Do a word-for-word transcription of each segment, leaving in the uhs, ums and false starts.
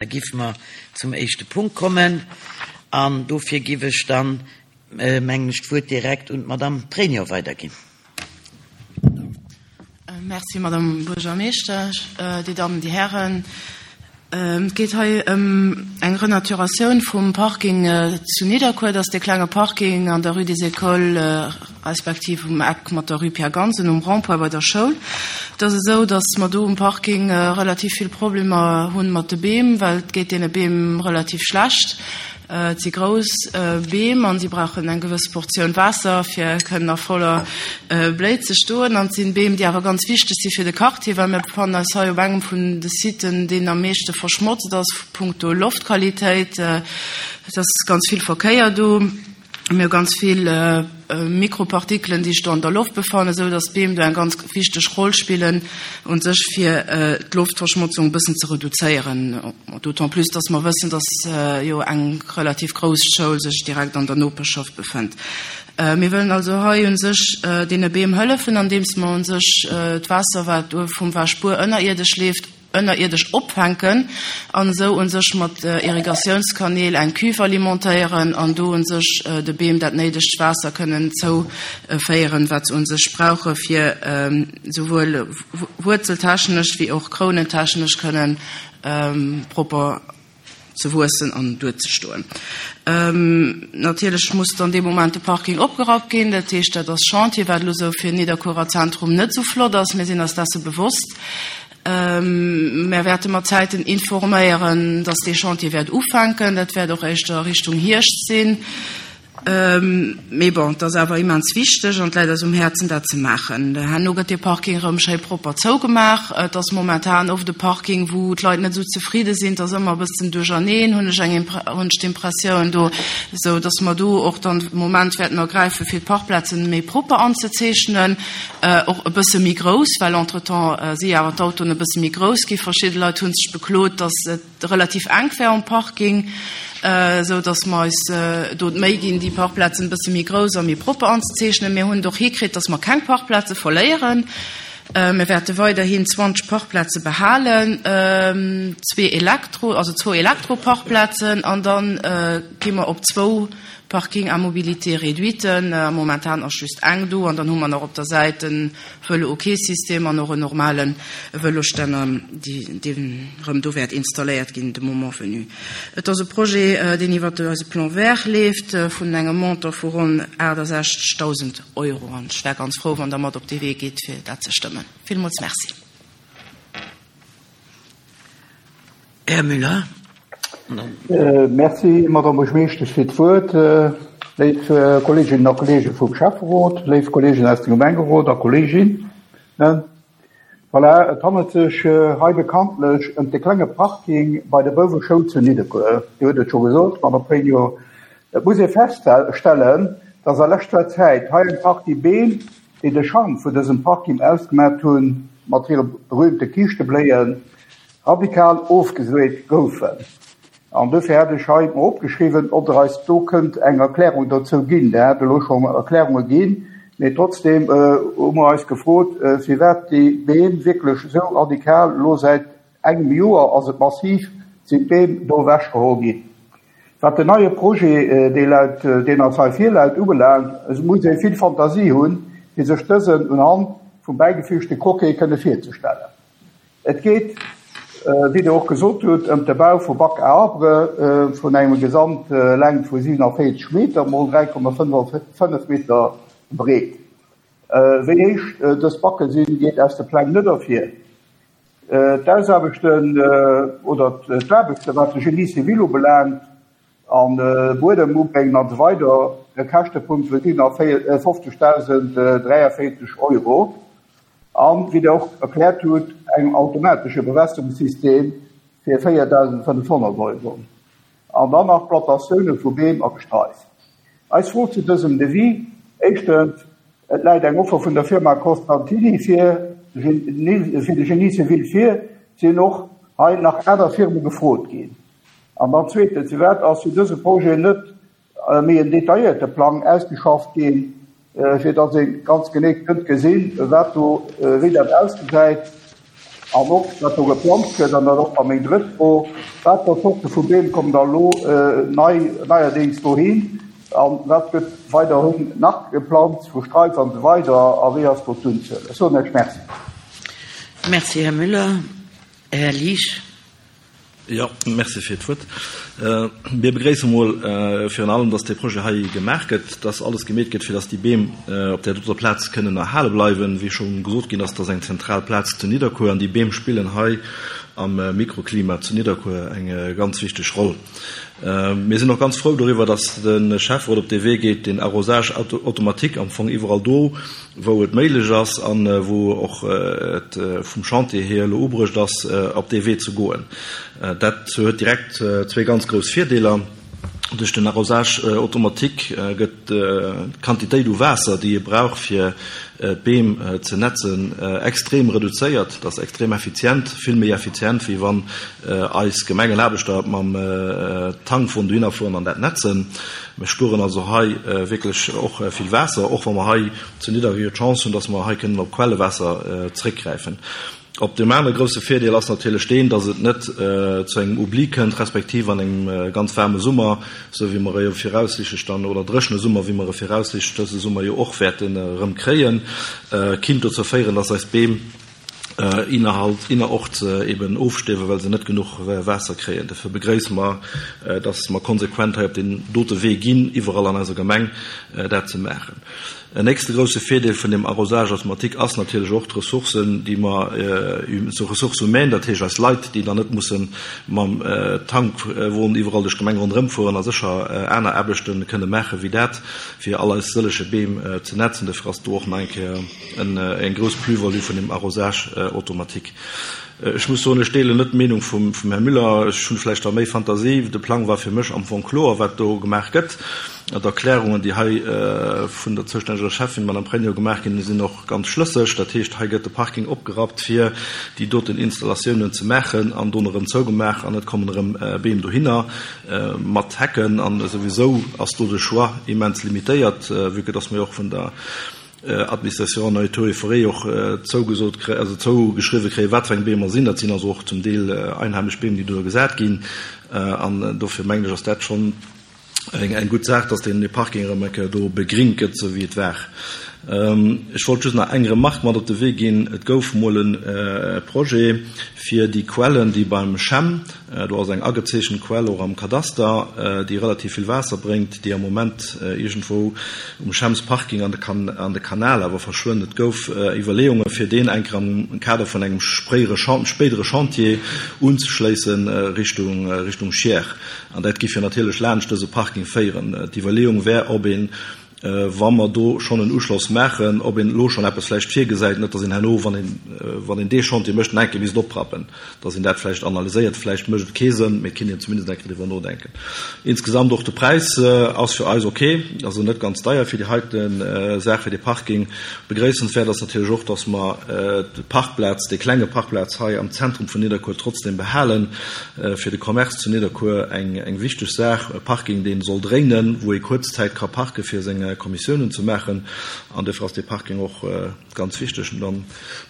Da géife mer zum éischte Punkt kommen an dofir géif ech dann, mengen ech, d'Wuert direkt un d'Madame Pregno weiderginn. Merci, Madame Buergermeeschtesch, Dir Dammen, Dir Hären. Et geet hei ëm eng Renaturatioun vum Parking zu Nidderkuer. Dat ass dee klenge Parking an der Rue des Écoles respektiv um Eck mat der Rue Pierre Gansen um Rond-point bei der Schoul. Et ass esou, datt mer do um Parking relativ vill Problemer hu mat de Beem, well et geet deene Beem relativ schlecht. Et si grouss Beem an si brauchen eng gewëss Portioun Waasser, fir kënnen a voller Bléi ze stoen. An et sinn Beem, déi awer ganz wichteg si fir de Quartier, well mir befannen eis hei op engem vun de Siten, deen am meeschte verschmotzt ass punkto Loftqualitéit. Et ass ganz vill Verkéier do. Mir hu ganz vill Mikropartikelen, déi sech do an der Loft befannen, esou datt d'Beem do eng ganz wichteg Roll spillen u sech fir d'Loftverschmotzung e bëssen ze reduzéieren. D'autant plus, datt mer wëssen, datt jo eng relativ grouss Schoul sech direkt an der Noperschaft befënnt. Mir wëllen also hei u sech deene Beem hëllefen, andeems mer u sech d'Waasser, wat vum Wäschbuer ënnerierdesch leeft, ënnerierdesch opfänken an esou un sech mat Irrigatiounskanäl eng Cuve alimentéieren an do un sech de Beem dat néidegt Waasser kënnen zouféieren, wat se un sech brauche fir souwuel wuerzeltechnesch wéi och krounentechnesch kënnen propper ze wuessen an duerzestoen. Natierlech muss dann dee Moment de Parking opgerappt ginn, dat heescht, dat ass Chantier, wat elo esou fir Nidderkuerer Zentrum net esou flott ass. Mir sinn eis desse bewosst. Mär wäerte mat Zäiten informéieren, dass dee Chantier wäert ufänken. Dat wäert och éischter Richtung Hierscht sinn. Mee bon, et ass awer immens wichteg an et läit eis um Häerzen, dat ze maachen. Herno gëtt dee Parking erëm schéi propper zougemaach. Et ass momentan oft e Parking, wou d'Leit net esou zefridde sinn. Et ass ëmmer e bëssen duercherneen, hunn ech eng, hunn ech d'Impressioun do, esou dass mer do och dann de Moment wäerten ergräifen, fir d'Parkplazen méi propper anzezeechnen, och e bësse méi grouss, well entretemps si awer d'Autoen e bësse méi grouss gi. Verschidde Leit hu sech beklot, dass et relativ enk wär um Parking, esou dass mer eis do d'Méi ginn, déi Parkplazen e bësse méi grouss a méi propper anzezeechnen. Mir hunn et och hikritt, dass mer keng Parkplaze verléieren. Mir wäerte weiderhin zwanzeg Parkplaze behalen, zwee Elektro, also zwou Elektroparkplazen, an da gi mer op zwou Parking à mobilité réduite. Momentan ass just eng do, an dann hu mer nach op der Säit e Vëlo-OK-System an och en normale Vëlostänner, deen erëm do wäert installéiert ginn de moment venu. Et ass e Projet, deen iwwer eise Plan vert leeft, vun engem Montant vu ronn aachtasechzegdausend Euro. An ech wär ganz frou, wann Der mat op dee Wee gitt, fir dat ze stëmmen. Villmools Merci. Här Müller. Merci, Madame Buergermeeschtesch, fir d'Wuert. Léif Kolleeginnen a Kolleege vum Schäfferot, léif Kolleegen aus dem Gemengerot a Kolleeginnen. Voilà, et handelt sech hei bekanntlech ëm de klenge Parking bei der Bouweschoul zu Nidderkuer. Dir hutt et scho gesot, Madame Pregno. Et muss ee feststellen, dass a leschter Zäit hei eng Partie Beem, déi de Charme vun dësem Parking ausgemaach hunn, mat hire berühmte Kiischtebléien, radikal ofgeseet goufen. An dofir hätt ech hei mol opgeschriwwen, ob Der eis do kënnt eng Erklärung dozou ginn. Der hat elo schonn Erklärunge ginn, mee trotzdem hu mer eis gefrot, firwat déi Beem wierklech esou radikal, elo säit engem Joer ass et massiv, sinn d'Beem do ewechgeholl ginn. Wat den neie Projet, dee laut, deen eis hei virläit, ubelaangt, esou muss ee vill Fantasie hunn, fir sech dësen unhand vum bäigefügte Croquet kënne virzestellen. Et geet, wéi Der och gesot hutt, ëm de Bau vu Bac à arbre vun engem Gesamtlängt vu siewenundvierzig Meter mol dräi Komma fënnef Meter breet. Wéi héich dës Backe sinn, geet aus de Pläng net ervir. D'Ausaarbechten oder d'Aarbechte wat de Génie civil ubelaangt an Buedem ubréngen an esou weider, e Käschtepunkt vu siewenundfünfzigtausenddräiundvierzig Euro. An, wéi Der och erkläert hutt, engem automatesche Bewässerungssystem fir véiertausendfënnfhonnert Euro. An dann nach Plantatioune vu Beem a Gestrais. Eis Fro zu dësem Devis: Éischtens, et läit eng Offer vun der Firma Costantini fir fir de Génie civil vir, sinn och hei nach aner Firme gefrot ginn? An dann zweetens, firwat ass fir dëse Projet net méi en detailléierte Plang ausgeschafft ginn, fir datt ee ganz genee kënnt gesinn, wat do, wéi dat ausgesäit, An och, wat do geplanzt gëtt, an dat och da meng drëtt Fro, wat fir Zorte vu Beem kommen da elo nei, neierdéngs dohin an wat gëtt weiderhin nach geplanzt, vu Straif an esou weider, a wéi ass do d'Unzuel? Ech soen Iech Merci. Merci, Här Müller. Här Liesch. Jo, merci fir d'Wuert. Mir begréisse mol virun allem, dass dee Projet hei gemaach gëtt, dass alles gemeet gëtt, fir dass déi Beem op där doter Plaz kënnen erhale bleiwen. Wéi scho gesot ginn ass, dat ass eng zentral Plaz zu Nidderkuer an déi Beem spillen hei am Mikroklima zu Nidderkuer eng ganz wichteg Roll. Mir sinn och ganz frou doriwwer, dass de Schäfferot op dee Wee geet, den Arrosage automatique am Fong iwwerall do, wou et méiglech ass a wou och et vum Chantier hier elo ubruecht ass, op dee Wee ze goen. Dat huet direkt zwee ganz grouss Virdeeler. Duerch den Arrosage automatique gëtt d'Quantitéit u Waasser, déi ee brauch, fir d'Beem ze netzen, extrem reduzéiert. Dat ass extrem effizient, vill méi effizient, wéi wann eis Gemengenaarbechter mam Tankwon dohinner fueren an dat netzen. Mir spueren also hei wierklech och vill Waasser, och wa mer hei zu Nidderkuer d'Chance hunn, dass mer hei kënnen op Quellewaasser zréckgräifen. Op deem anere grousse Virdeel ass natierlech deen, dass et net zu engem Oubli kënnt, respektiv an engem ganz waarme Summer, esou wéi mer e jo viraussichtlech dann, oder dréchene Summer, wéi mer e viraussichtlech dëse Summer jo och wäerten erëm kréien, kinnt dozou féieren, dass eis Beem innerhalt, innerorts eben ofstierwen, well se net genuch Waasser kréien. Dofir begréisse mer, dass mer konsequent hei op deen dote Wee ginn, iwwerall an eiser Gemeng dat ze maachen. En nächste grousse Virdeel vun dem Arrosage automatique ass natierlech och d'Ressourcen, déi mer, so Ressources humaines, dat heescht eis Leit, déi dann net musse mam Tankwon iwwerall duerch d'Gemeng ronderëm fueren a sécher aner Aarbechte kënne maache wéi dat, fir all eis sëllege Beem ze netzen. Dofir ass do och nach eng Kéier eng grouss Plus-value vun dem Arrosage automatique. Ech muss soen, ech deelen net d'Meenung vum Här Müller. Ech hunn vläicht da méi Fantasie. De Plang war fir mech am Fong kloer, wat do gemaach gëtt. D'Erklärungen, déi hei vun der zoustänneger Schäffin, Madame Pregno, gemaach ginn, sinn och ganz schlësseg. Dat heescht, hei gëtt de Parking opgerappt, fir déi doten Installatiounen ze maachen an dono erëm zougemaach an et kommen erëm Beem dohinner mat Hecken. An souwisou ass do de Choix immens limitéiert, vue que dass mer jo och vun der Administration Nature et Forêt och zougesot kréien, also zougeschriwwe kréien, wat fir eng Beem mer sinn. Dat sinn also och zum Deel einheimesch Beem, déi do gesat ginn. An dofir mengen ech, ass dat schonn eng gutt Saach, dass deen Parking erëm eng Kéier do begringt gëtt, esou wéi et war. Ech wollt just nach eng Remarque mat op de Wee ginn. Et gouf mol e Projet fir déi Quellen, déi beim Chem, do ass eng agezeechent Quell och am Kadaster, déi relativ vill Waasser bréngt, déi am Moment iergendwou um Chemsparking an de Kanal awer verschwënnt. Et gouf Iwwerleeunge fir deen eng Kéier am Kader vun engem spéidere Chantier unzeschléissen Richtung Schier. An dat géif jo natierlech laanscht dëse Parking féieren. D'Iwwerleeung wär, ob een, wa mer do schonn en Uschloss maachen, ob een elo schonn eppes vläicht virgesäit, net datt een herno, wann een, wann een dee Chantier mécht, nach eng Kéier misst oprappen, datt een dat vläicht analyséiert. Vläicht mécht et kee Sënn, mee et kéint een zumindest eng Kéier driwwer nodenken. Insgesamt och de Präis ass fir eis ok, also net ganz deier fir déi heite Saach, fir dee Parking. Begréissenswäert ass natierlech och, datt mer d'Parkplaz, dee klenge Parkplaz hei am Zentrum vun Nidderkuer trotzdem behalen. Fir de Commerce zu Nidderkuer eng, eng wichteg Saach, e Parking, dee soll dréinen, wou ee kuerz Zäit ka parke fir seng Kommissiounen ze maachen, an dofir ass dee Parking och ganz wichteg. An dann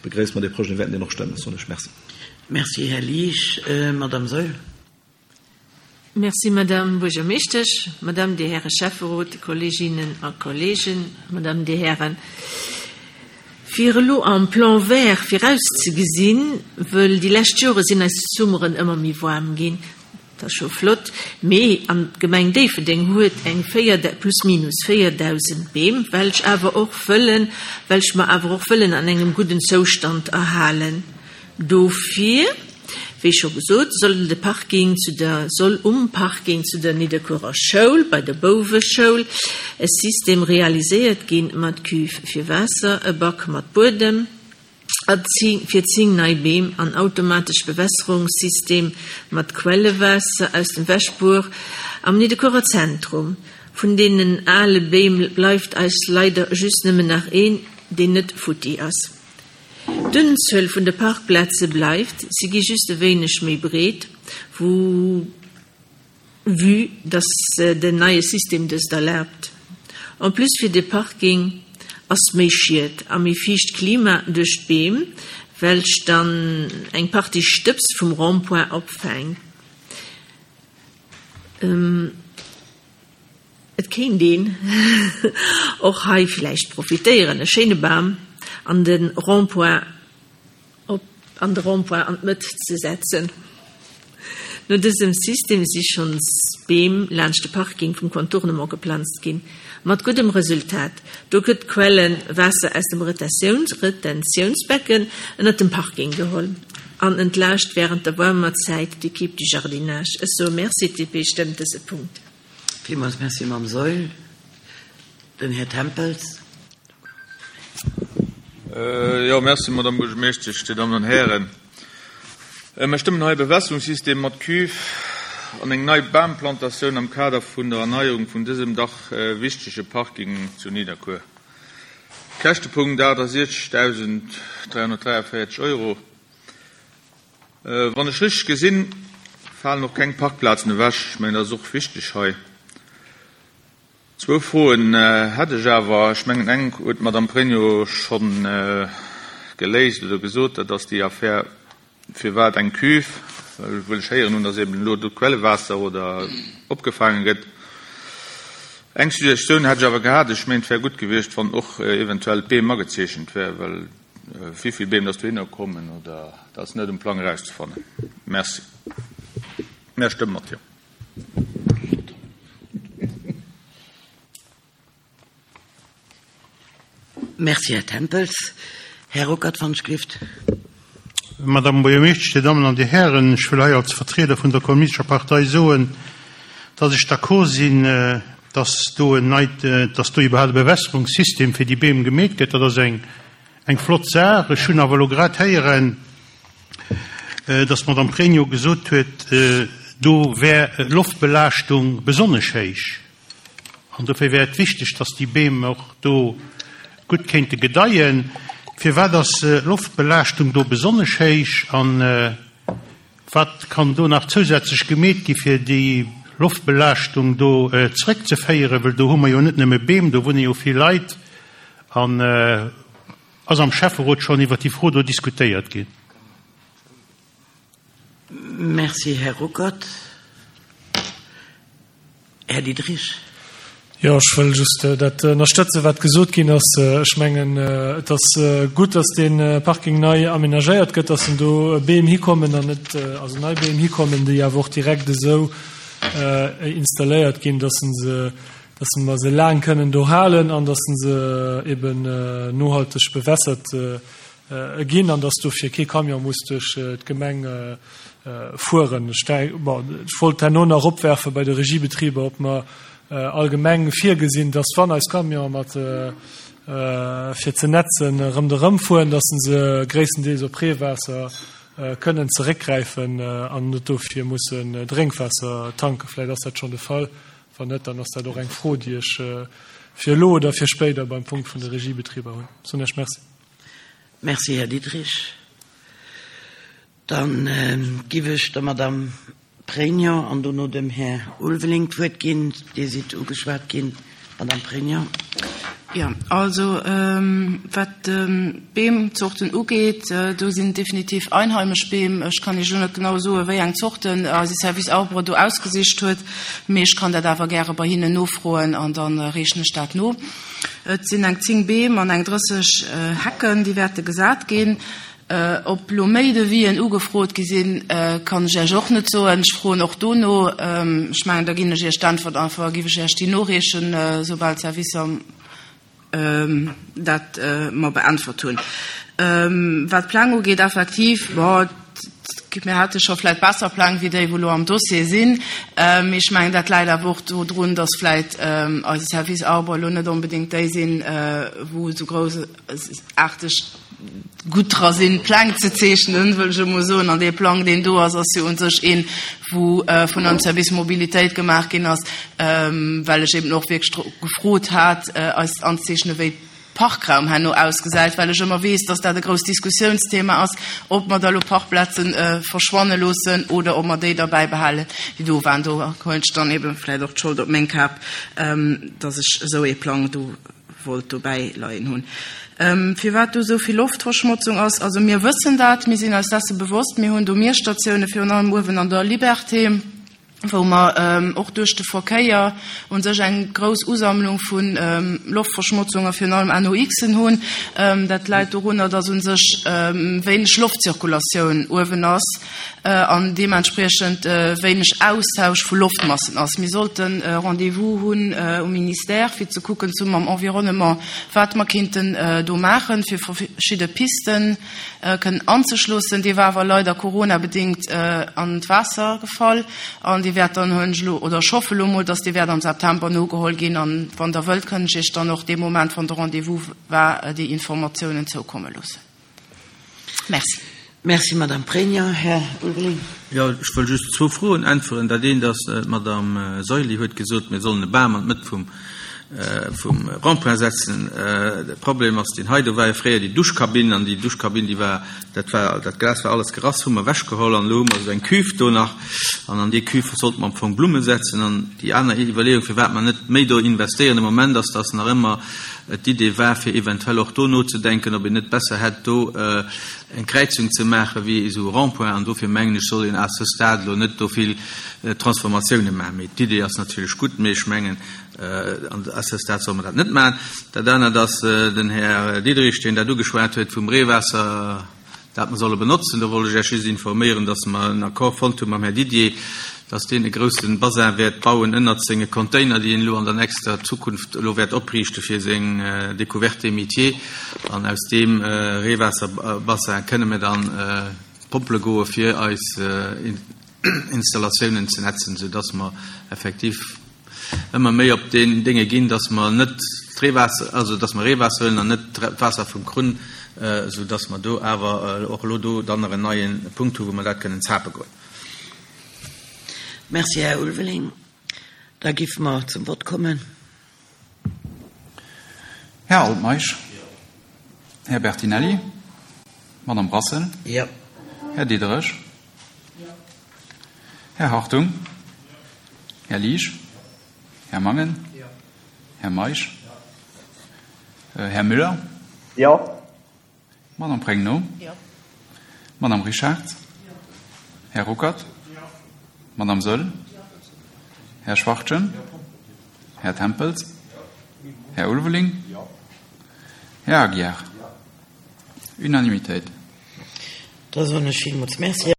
begréisse mer dee Projet, mir wäerten deen och stëmmen. Soen ech Merci. Merci, Här Liesch. Madame Saeul. Merci, Madame Buergermeeschtesch, Madame, Dir Häre Schäfferot, Kolleeginnen a Kolleegen, Madame, Dir Hären. Fir elo am Plan vert virauszegesinn, wëll déi lescht Jore sinn eis Summeren ëmmer méi waarm ginn, dat ass scho flott, mee an d'Gemeng Déifferdeng huet eng véier, plus minus véierdausend Beem, welch awer och wëllen, welch mer awer och wëllen an engem gudden Zoustand erhalen. Dofir, wéi scho gesot, soll de Parking zu der, soll um Parking zu der Nidderkuerer Schoul, bei der Bouweschoul, e System realiséiert ginn mat Cuve fir Waasser, e Back mat Buedem a fir zéng nei Beem an automatesch Bewässerungssystem mat Quellewaasser aus dem Wäschbuer am Nidderkuerer Zentrum. Vun deenen ale Beem bleift eis leider just nëmmen nach een, deen net futti ass. D'Unzuel vun de Parkplaze bleift, si gi just e wéineg méi breet, wou, vue dass den neie System dëst erlaabt. En plus fir de Parking ass méi Schied a méi fiicht Klima duerch d'Beem, welch dann eng Partie Stëbs vum Rond-point opfänkt. Ähm, et kéint een och hei vläicht profitéieren, e schéine Bam an den Rond-point op, an de Rond-point an d'Mëtt ze setzen. No dësem System si schonns Beem laanscht de Parking vum Contournement geplanzt ginn, mat guddem Resultat. Do gëtt d'Quellewaasser aus dem Retentiouns Retentiounsbecken ënnert dem Parking geholl an entlaascht wärend der waarmer Zäit d'Equipe du Jardinage. Ech soe Merci, d'DP stëmmt dëse Punkt. Villmools Merci, Mme Saeul. Den Här Tempels. Jo, merci, Madame Buergermeeschtesch, Dir Dammen an Hären. Mir stëmmen hei e Bewässerungssystem mat Cuve an eng nei Bamplantatioun am Kader vun der Erneierung vun dësem dach wichtege Parking zu Nidderkuer. Käschtepunkt achtasiechzegdausend dräihonnertdräiavéierzeg Euro. Wann ech richteg gesinn, falen och keng Parkplazen ewech. Ech mengen, dat ass och wichteg hei. Zwou Froen hätt ech awer. Ech mengen, eng huet d'Madame Pregno schonn geléist oder gesot, dat ass déi Affär, firwat eng Cuve, well ech héieren hunn, datt eben elo do d'Quellewaasser oder opgefaange gëtt. Eng Suggestioun hätt ech awer gehat, ech mengen, et wär gutt gewiescht, wann och eventuell d'Beem agezeechent wär, well wéi vill Beem datt dohinner kommen oder dat ass net um Plang erauszefannen. Merci. Mir stëmme mat Jo. Merci, Här Tempels. Här Ruckert van Schrift. Madame Buergermeeschtesch, Dir Dammen an Dir Hären, ech wëll hei als Vertrieder vun der Kommunistescher Partei soen, dass ech d'accord sinn, dass do en neit, dass do iwwerhaapt e Bewässerungssystem fir déi Beem gemeet gëtt. Dat ass eng, eng flott Saach. Ech hunn awer elo grad héieren, dass d'Madame Pregno gesot huet, do wär d'Loftbelaaschtung besonnesch héich. An dofir wär et wichteg, dass déi Beem och do gutt kéinte gedeien. Firwat ass d'Loftbelaaschtung do besonnesch héich an wat kann do nach zousätzlech gemeet gi fir déi Loftbelaaschtung do zeréckzeféieren? Well do hu mer jo net nëmme Beem, do wunne jo vill Leit. An ass am Schäfferot schonn iwwer déi Fro do diskutéiert ginn? Merci, Här Ruckert. Här Diderich. Jo, ech wëll just dat ënnerstëtzen, wat gesot ginn ass. Ech mengen, et ass gutt, dass dee Parking nei amenagéiert gëtt, dass en do Beem hikommen an net, also nei Beem hikommen, déi awer och direkt esou installéiert ginn, dass en se, dass mer se laang kënnen do halen an dass en se eben nohalteg bewässert ginn an dass dofir kee Camion muss duerch d'Gemeng fueren. Ech, bon, ech wollt herno nach opwerfe bei de Regiebetriber, ob mer allgemeng virgesinn, dass wann eis Camion mat fir ze netzen ronderëm fueren, dass se gréisstendeels op Reewaasser kënnen zeréckgräifen an net dofir mussen Drénkwaasser tanken. Vläicht ass dat schonn de Fall. Wann net, dann ass dat och eng Fro, déi ech fir elo oder fir spéider beim Punkt vun de Regiebetriber hunn. Soen ech Merci. Merci, Här Diderich. Dann giff ech der Madame Pregno an dono dem Här Ulveling d'Wuert ginn. Dir sidd ugeschwat ginn, Madame Pregno. Jo, also wat d'Beemzorten ugeet, do sinn definitiv einheimesch Beem. Ech kann Iech elo net genau soen, wéi eng Zorten eise Service Arbre do ausgesicht huet, mee ech kann dat awer gäre bei hinnen nofroen an da reechen ech dat no. Et sinn eng zéng Beem an eng drësseg Hecken, déi wäerte gesat ginn. Ob lo méi Devisen ugefrot gi sinn, kann ech Iech och net soen. Ech froen och do no. Ech mengen, da ginn ech Iech d'Äntwert einfach, giff ech Iech déi noreechen, soubal d'Servicer dat mer beäntwert hunn. Wat d'Pläng ugeet, effektiv, bon, mir hate scho vläit besser Pläng wéi déi, wou elo am Dossier sinn. Mee ech mengen, dat läit awer och dodrun, datt vläit eise Service Arbre elo net onbedéngt déi sinn, wou esou groussaarteg gutt dra sinn, Pläng ze zeechnen, wëll ech emol soen. An dee Plang, deen do ass, ass jo u sech een, wou vun eisem Service Mobilitéit gemaach ginn ass, well ech eben och wierklech gefrot hat, eis anzeechnen, wéi Parkraum herno ausgesäit, well ech ëmmer weess, dass dat e grousst Diskussiounsthema ass, ob mer da lo Parkplazen verschwanne loossen oder ob mer déi da bäibehalen, déi do waren. Do huelen ech dann eben vläicht och d'Schold op meng Kap, dass ech esou ee Plang do wollt dobäi leien hunn. Firwat do esou vill Loftverschmotzung ass, also mir wëssen dat, mir sinn eis desse bewosst, mir hunn do Miesstatioune virun allem uewen an der Liberté, wou mer och duerch de Verkéier u sech eng grouss Usammlung vu Loftverschmotzung a virun allem NOxen hunn. Dat läit dorunner, dass u sech wéineg Loftzirkulatioun uewen ass an deementspriechend wéineg Austausch vu Loftmassen ass. Mir sollten e Rendez-vous hunn um Ministère, fir ze kucken zesumme mam Environnement, wat mer kéinten do maachen, fir verschidde Pisten kënnen anzeschlossen. Dee war awer leider coronabedéngt an d'Waasser gefall an dee wäert dann, hunn ech elo, oder ech hoffe elo mol, dass dee wäert am September nogeholl ginn. An wann Der wëllt, kënn ech Iech dann och dee Moment, wann de Rendez-vous war, déi Informatiounen zoukomme loossen. Merci. Merci, Madame Pregno. Här Ulveling. Jo, ech wëll just zwou Froen äntweren. Dat eent ass, d'Madame Saeuli huet gesot, mir sollen e Bam an d'Mëtt vum vum Rond-point setzen. De Problem ass deen hei, do war jo fréier déi Duschkabinn an déi Duschkabinn, déi war, dat war, dat Glas war alles gerass, hu mer ewechgeholl an elo hu mer esou eng Cuve do nach an an déi Cuve sollte mer am Fong Blumme setzen. An déi aner Iwwerleeung, firwat mer net méi do investéieren de Moment, ass, dass nach ëmmer d'Idee war, fir eventuell och do nozedenken, ob een net besser hätt, do eng Kräizung ze maache wéi esou e Rond-point. An dofir mengen ech, soll een à ce stade elo net do vill Transformatiounen maachen. Mee d'Idee ass natierlech gutt, mee ech mengen, à ce stade solle mer dat net maachen. Dat anert ass den Här Diderich, deen dat ugeschwat huet vum Reewaasser, dat mer solle benotzen. Do wollt ech Iech just informéieren, dass mer en Accord fonnt hu mam Här Didier, dass deen e grousse Bassin wäert bauen ënnert senge Container, déi en elo an der nächster Zukunft elo wäert opriichte fir seng Découverte des métiers. An aus deem Reewaasserbassin kënne mir dann pompele goe fir eis Installatiounen ze netzen, soudass mer effektiv ëmmer méi op deen Dénge ginn, dass mer net d'Reewaasser, also dass mer Reewaasser huelen an net d'Waasser vum Krunn, soudass mer do awer och elo do dann nach en neie Punkt hu wou mer dat kënnen zape goen. Merci, Här Ulveling. Da géife mer zum Vott kommen. Här Altmeisch. Här Bertinelli. Madame Brassel. Jo. Här Diderich. Här Hartung. Här Liesch. Här Mangen. Här Meisch. Här Müller. Jo. Madame Pregno. Jo. Madame Richard. Här Ruckert. Madame Söll. Här Schwachtgen. Här Tempels. Här Ulveling. Här Aguiar. Unanimitéit. Da soen ech villmools Merci.